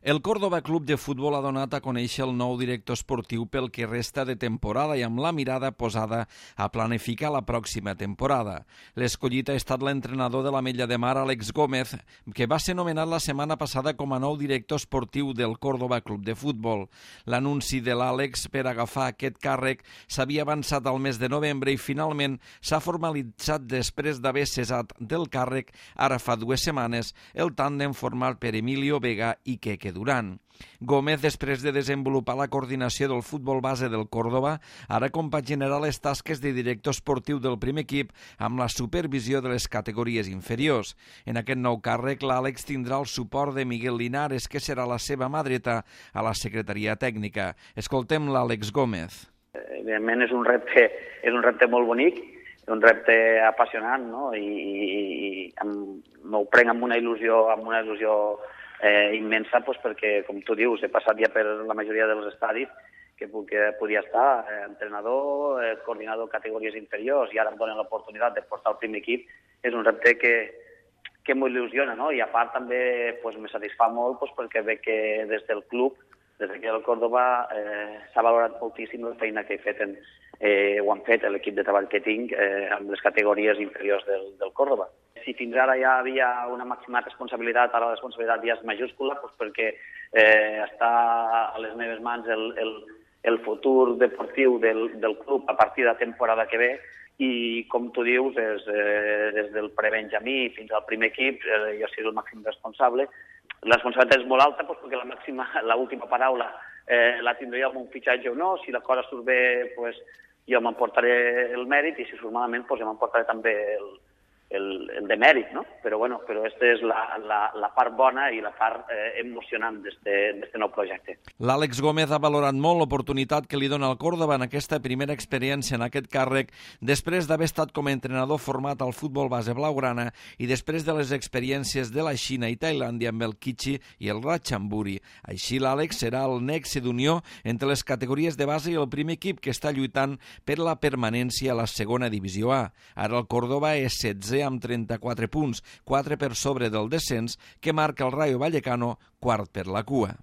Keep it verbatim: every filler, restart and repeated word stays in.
El Córdoba Club de Futbol ha donat a conèixer el nou director esportiu pel que resta de temporada i amb la mirada posada a planificar la pròxima temporada. L'escollit ha estat l'entrenador de l'Ametlla de Mar, Àlex Gómez, que va ser nomenat la setmana passada com a nou director esportiu del Córdoba Club de Futbol. L'anunci de l'Àlex per agafar aquest càrrec s'havia avançat al mes de novembre i finalment s'ha formalitzat després d'haver cessat del càrrec ara fa dues setmanes el tàndem format per Emilio Vega i Queque Durán. Gómez, després de desenvolupar la coordinació del futbol base del Córdoba, ara compaginarà les tasques de director esportiu del primer equip amb la supervisió de les categories inferiors. En aquest nou càrrec, l'Àlex tindrà el suport de Miguel Linares, que serà la seva mà dreta a la secretaria tècnica. Escoltem l'Àlex Gómez. Evidentment és un repte, és un repte molt bonic, un repte apassionant, no? I, i, i m'ho prenc amb una il·lusió, amb una il·lusió eh, immensa, pues, perquè, com tu dius, he passat ja per la majoria dels estadis que, que podia estar, eh, entrenador, eh, coordinador de categories inferiors, i ara em donen l'oportunitat de portar el primer equip. És un repte que, que m'il·lusiona, no? I a part també pues, me satisfà molt pues, perquè veig que des del club, des d'aquí al Córdoba, eh, s'ha valorat moltíssim la feina que he fet en, eh, ho han fet l'equip de treball que tinc eh, amb les categories inferiors del, del Córdoba. Si fins ara ja havia una màxima responsabilitat, ara la responsabilitat ja és majúscula, doncs perquè eh, està a les meves mans el, el, el futur deportiu del, del club a partir de la temporada que ve, i com tu dius, és, eh, des del pre-benjamí fins al primer equip, eh, jo soc el màxim responsable. La responsabilitat és molt alta doncs, perquè la màxima, l'última paraula eh, la tindré amb un fitxatge o no. Si la cosa surt bé, doncs, jo m'emportaré el mèrit, i si surt malament, doncs, jo m'emportaré també el, el, el demèrit, no? Però, bueno, però aquesta és la, la, la part bona i la part eh, emocionant d'aquest nou projecte. L'Àlex Gómez ha valorat molt l'oportunitat que li dona el Córdoba en aquesta primera experiència en aquest càrrec, després d'haver estat com a entrenador format al futbol base blaugrana i després de les experiències de la Xina i Tailàndia amb el Kichi i el Ratchanburi. Així, l'Àlex serà el nexe d'unió entre les categories de base i el primer equip, que està lluitant per la permanència a la segona divisió A. Ara el Córdoba és setzè amb trenta-quatre punts, quatre per sobre del descens, que marca el Rayo Vallecano quart per la cua.